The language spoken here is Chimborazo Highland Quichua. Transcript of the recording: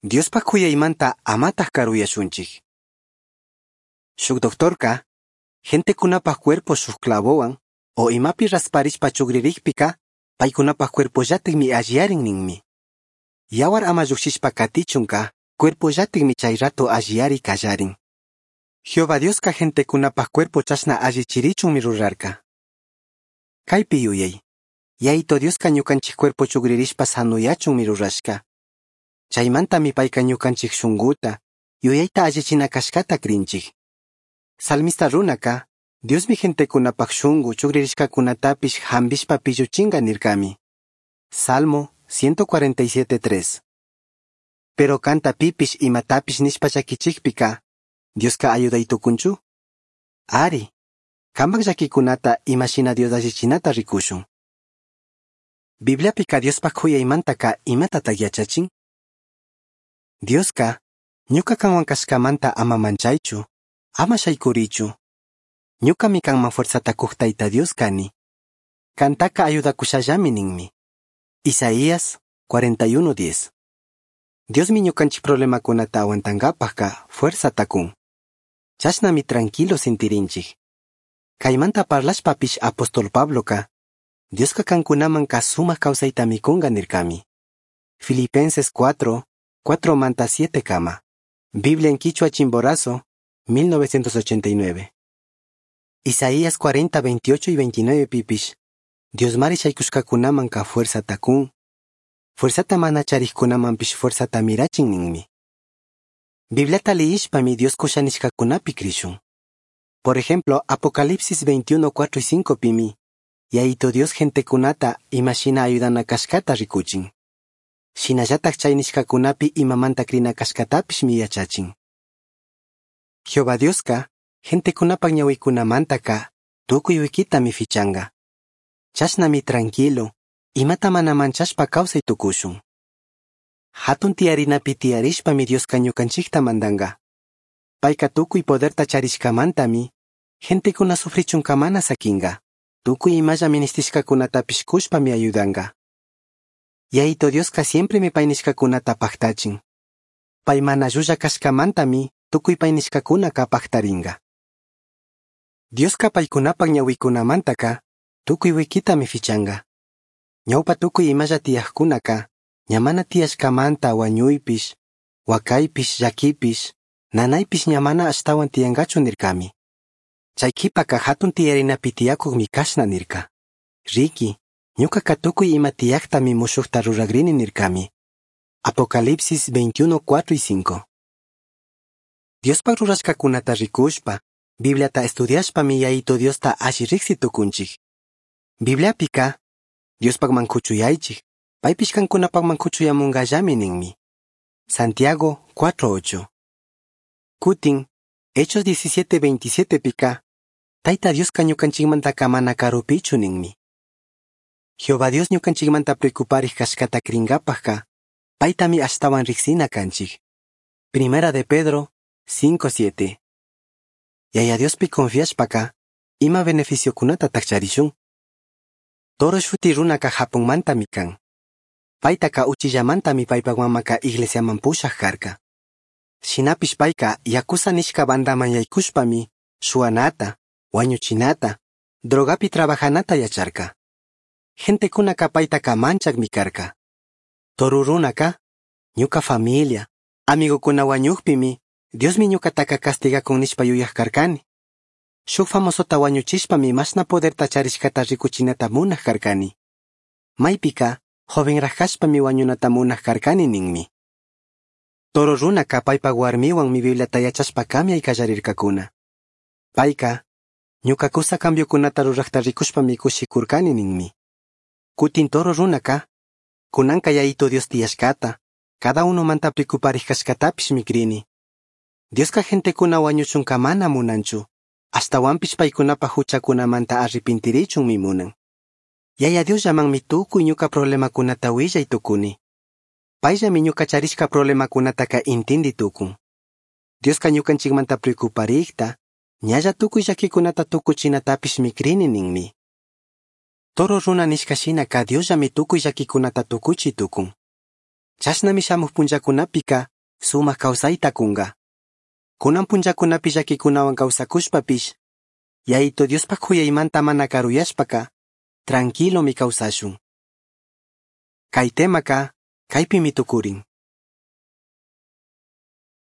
Diospaj juyaimanta amataj karuyashunchij. Shuk doctorka, gentecunapaj cuerpo shuk clavowan o imapi rasparishpa chugririjpika, paykunapaj cuerpollatikmi alliyarin ninmi. Yawar ama llujshishpa katichunka, cuerpollatikmi chay rato alliyari kallarin. Jehová Dioska gentecunapaj cuerpo chashna allichirichunmi rurarka. Kaypi yuyay. Yaito Dioska ñukanchik cuerpo chugririshpa sanuyachunmi rurashka. Chaymantami payka ñukanchik shunguta, yuyayta allichina kashkata krinchik. Salmista runaka, Diosmi gentekunapaj shungu chugririshkakunatapish hambishpa pilluchinga nirkami. Salmo 147.3. Pero kanta pipish imatapish nishpa llakichikpika, Dioska ayuday tukunchu? Ari, kampak llakikunata imashina Dios allichinata rikushun. Bibliapika Diospaj juyaymantaka imatatak yachachin? Dioska, ñuka kanwan kashkamanta ama manchaychu, ama shaykurichu. Ñukami kanman fuerzata kuj Tayta Dios kani. Kantaka ayudakushallami ninmi. Isaías 41:10. Diosmi ñukanchik problemakunata aguantankapajka fuerzata kun. Chashnami tranquilo sintirinchik. Kaymanta parlashpapish apóstol Pabloka, Dioska kankunaman sumaq kawsaytami kunga nirkami. Filipenses 4, 4 manta 7 kama. Biblia en Quichua Chimborazo, 1989. Isaías 40, 28 y 29 pipish. Diosmari shaykushkakunaman ka fuerzata kun. Fuerzata mana charikkunamanpish fuerzata mirachin ninmi. Bibliata liyishpami Dios kusha nishkakunapi krishun. Por ejemplo, Apocalipsis 21, 4 y 5 pimi. Yaito Dios gentekunata imashina ayudana kashkata rikuchin. Shinallatak chay nishkakunapi imamanta krina kashkatapishmi yachachin. Jehová Dioska, gentekunapak ñawikunamantaka, tukuy wikitami fichanga. Chashnami tranquilo, imata mana manchashpa kawsay tukushun. Hatun tiyarinapi tiyarishpami Dioska ñukanchikta mandanga. Payka tukuy poderta charishkamantami, gentekuna sufrichunka mana sakinga. Tukuy imalla ministishkakunatapish kushpami ayudanga. Yaito Dioska siempremi pay nishkakunata paktachin. Pay mana llulla kashkamantami tukuy pay nishkakunaka paktaringa. Dioska paykunapak ñawikunamantaka tukuy wikitami fichanga. Ñawpa tukuy imalla tiyajkunaka ña mana tiyashkamanta wañuypish, wakaypish, llakipish, nanaypish ña mana ashtawan tiyangachu nirkami. Chay kipaka hatun tiyarinapi tiyakukmi kashna nirka. Riki, ñukaka tukuy ima tiyaktami mushukta ruragrini nirkami. Apocalipsis 21, 4 y 5. Diospaj rurashkakunata rikushpa, Bibliata estudiashpami Yaito Diosta alli riksi tukunchik. Bibliapika, Diospajman kuchuyaychik, paypish kankunapajman kuchuyamunkallami ninmi. Santiago 4.8. Kutin, Hechos 17.27 pika, Tayta Dioska ñukanchikmantaka mana karupichu ninmi. Jehová Dios ñukanchikmanta preocuparij kashkata krinkapajka, paytami ashtawan riksina kanchik. Primera de Pedro 5.7. Yaya Diospi confiashpaka, ima beneficiokunatataq charishun? Toro shuti runaka Japonmantami kan. Paytaka uchillamantami paypak mamaka iglesiaman pushaj karka. Shinapish payka yakuza nishka bandaman yaykushpami shuwanata, wañuchinata, drogapi trabajanata yacharka. Gentekunaka paytaka manchakmi karka. Toru runaka, ñuka familia, amigokuna wañukpimi, Diosmi ñukataka castigakun nishpa yuyaj karkani. Shuk famosota wañuchishpami mashna poderta charishkata rikuchinata munaj karkani. Maypika, jovenraj kashpami wañunata munaj karkani ninmi. Toro runaka paypak warmiwanmi Bibliata yachashpa kamyay kallarirkakuna. Payka, ñuka kusa cambiokunata rurajta rikushpami kushikurkani ninmi. Kutin toro runaka, kunanka Yaito Dios tiyashkata, cada unomanta preocuparij kashkatapishmi krini. Dioska gentekuna wañuchunka mana munanchu, ashtawanpish paykunapaj huchakunamanta arrepintirichunmi munan. Yaya Diosllamanmi tukuy ñuka problemakunata willay tukuni. Payllami ñuka charishka problemakunataka intindi tukun. Dioska ñukanchikmanta preocuparikta, ñalla tukuy llakikunata tukuchinatapishmi krini ninmi. Toro runa nishka shinaka Diosllami tukuy llakikunata tukuchi tukun. Chashnami shamuj punllakunapika sumaj causaita cunga. Cunan punllacunapi llaquicunahuan causacushpapish Yayitu Diospaj c'uyaimanta mana caruyashpaca tranquilomi causashun. Cai temaca caipimi tucurin.